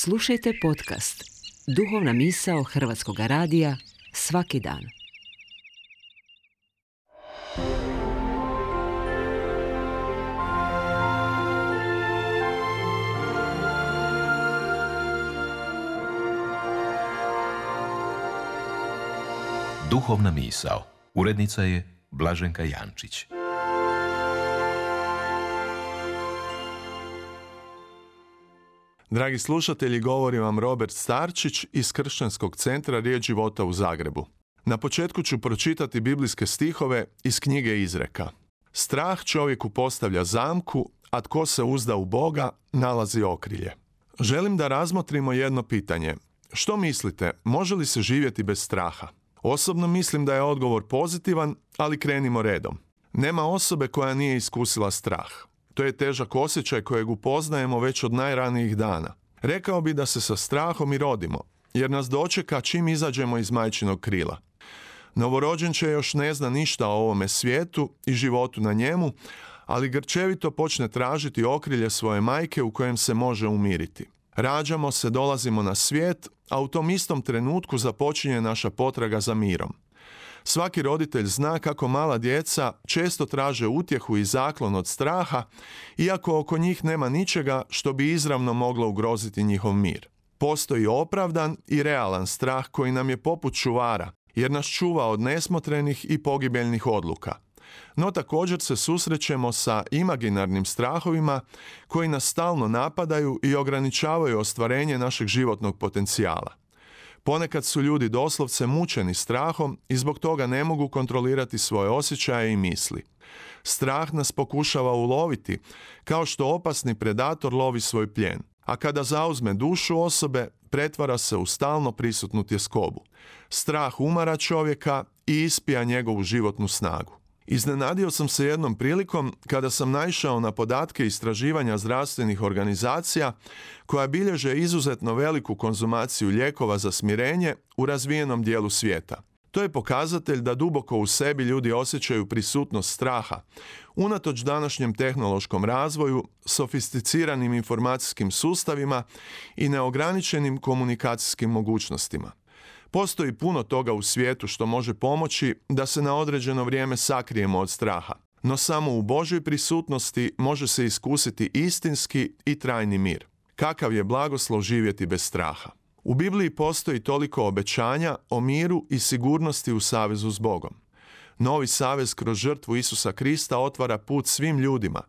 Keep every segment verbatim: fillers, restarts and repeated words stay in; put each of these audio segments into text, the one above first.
Slušajte podcast Duhovna misao Hrvatskog radija svaki dan. Duhovna misao. Urednica je Blaženka Jančić. Dragi slušatelji, govori vam Robert Starčić iz Kršćanskog centra Riječ života u Zagrebu. Na početku ću pročitati biblijske stihove iz knjige Izreka. Strah čovjeku postavlja zamku, a tko se uzda u Boga nalazi okrilje. Želim da razmotrimo jedno pitanje. Što mislite, može li se živjeti bez straha? Osobno mislim da je odgovor pozitivan, ali krenimo redom. Nema osobe koja nije iskusila strah. To je težak osjećaj kojeg upoznajemo već od najranijih dana. Rekao bi da se sa strahom i rodimo, jer nas dočeka čim izađemo iz majčinog krila. Novorođenče još ne zna ništa o ovome svijetu i životu na njemu, ali grčevito počne tražiti okrilje svoje majke u kojem se može umiriti. Rađamo se, dolazimo na svijet, a u tom istom trenutku započinje naša potraga za mirom. Svaki roditelj zna kako mala djeca često traže utjehu i zaklon od straha, iako oko njih nema ničega što bi izravno moglo ugroziti njihov mir. Postoji opravdan i realan strah koji nam je poput čuvara, jer nas čuva od nesmotrenih i pogibeljnih odluka. No također se susrećemo sa imaginarnim strahovima koji nas stalno napadaju i ograničavaju ostvarenje našeg životnog potencijala. Ponekad su ljudi doslovce mučeni strahom i zbog toga ne mogu kontrolirati svoje osjećaje i misli. Strah nas pokušava uloviti, kao što opasni predator lovi svoj plijen, a kada zauzme dušu osobe, pretvara se u stalno prisutnu tjeskobu. Strah umara čovjeka i ispija njegovu životnu snagu. Iznenadio sam se jednom prilikom kada sam naišao na podatke istraživanja zdravstvenih organizacija koja bilježe izuzetno veliku konzumaciju lijekova za smirenje u razvijenom dijelu svijeta. To je pokazatelj da duboko u sebi ljudi osjećaju prisutnost straha, unatoč današnjem tehnološkom razvoju, sofisticiranim informacijskim sustavima i neograničenim komunikacijskim mogućnostima. Postoji puno toga u svijetu što može pomoći da se na određeno vrijeme sakrijemo od straha, no samo u Božoj prisutnosti može se iskusiti istinski i trajni mir. Kakav je blagoslov živjeti bez straha. U Bibliji postoji toliko obećanja o miru i sigurnosti u savezu s Bogom. Novi savez kroz žrtvu Isusa Krista otvara put svim ljudima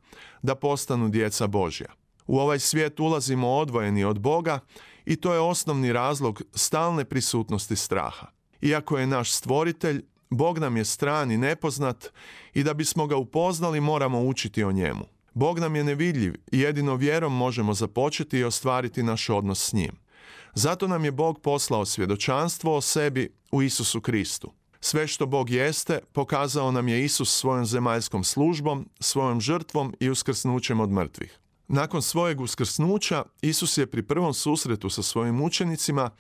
da postanu djeca Božja. U ovaj svijet ulazimo odvojeni od Boga i to je osnovni razlog stalne prisutnosti straha. Iako je naš stvoritelj, Bog nam je stran i nepoznat i da bismo ga upoznali moramo učiti o njemu. Bog nam je nevidljiv i jedino vjerom možemo započeti i ostvariti naš odnos s njim. Zato nam je Bog poslao svjedočanstvo o sebi u Isusu Kristu. Sve što Bog jeste, pokazao nam je Isus svojom zemaljskom službom, svojom žrtvom i uskrsnućem od mrtvih. Nakon svojeg uskrsnuća, Isus je pri prvom susretu sa svojim učenicima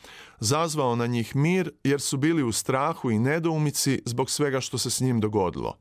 zazvao na njih mir jer su bili u strahu i nedoumici zbog svega što se s njim dogodilo.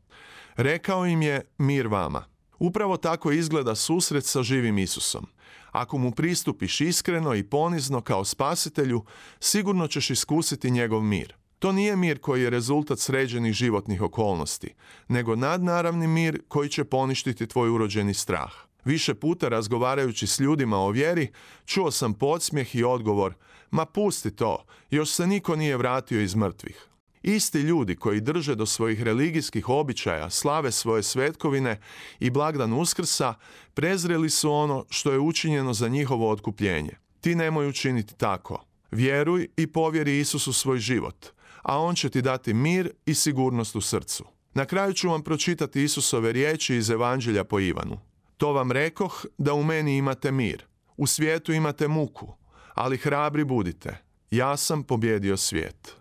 Rekao im je mir vama. Upravo tako izgleda susret sa živim Isusom. Ako mu pristupiš iskreno i ponizno kao spasitelju, sigurno ćeš iskusiti njegov mir. To nije mir koji je rezultat sređenih životnih okolnosti, nego nadnaravni mir koji će poništiti tvoj urođeni strah. Više puta razgovarajući s ljudima o vjeri, čuo sam podsmijeh i odgovor, ma pusti to, još se niko nije vratio iz mrtvih. Isti ljudi koji drže do svojih religijskih običaja, slave svoje svetkovine i blagdan Uskrsa, prezreli su ono što je učinjeno za njihovo otkupljenje. Ti nemoj učiniti tako. Vjeruj i povjeri Isusu svoj život, a on će ti dati mir i sigurnost u srcu. Na kraju ću vam pročitati Isusove riječi iz Evanđelja po Ivanu. To vam rekoh da u meni imate mir. U svijetu imate muku, ali hrabri budite. Ja sam pobjedio svijet.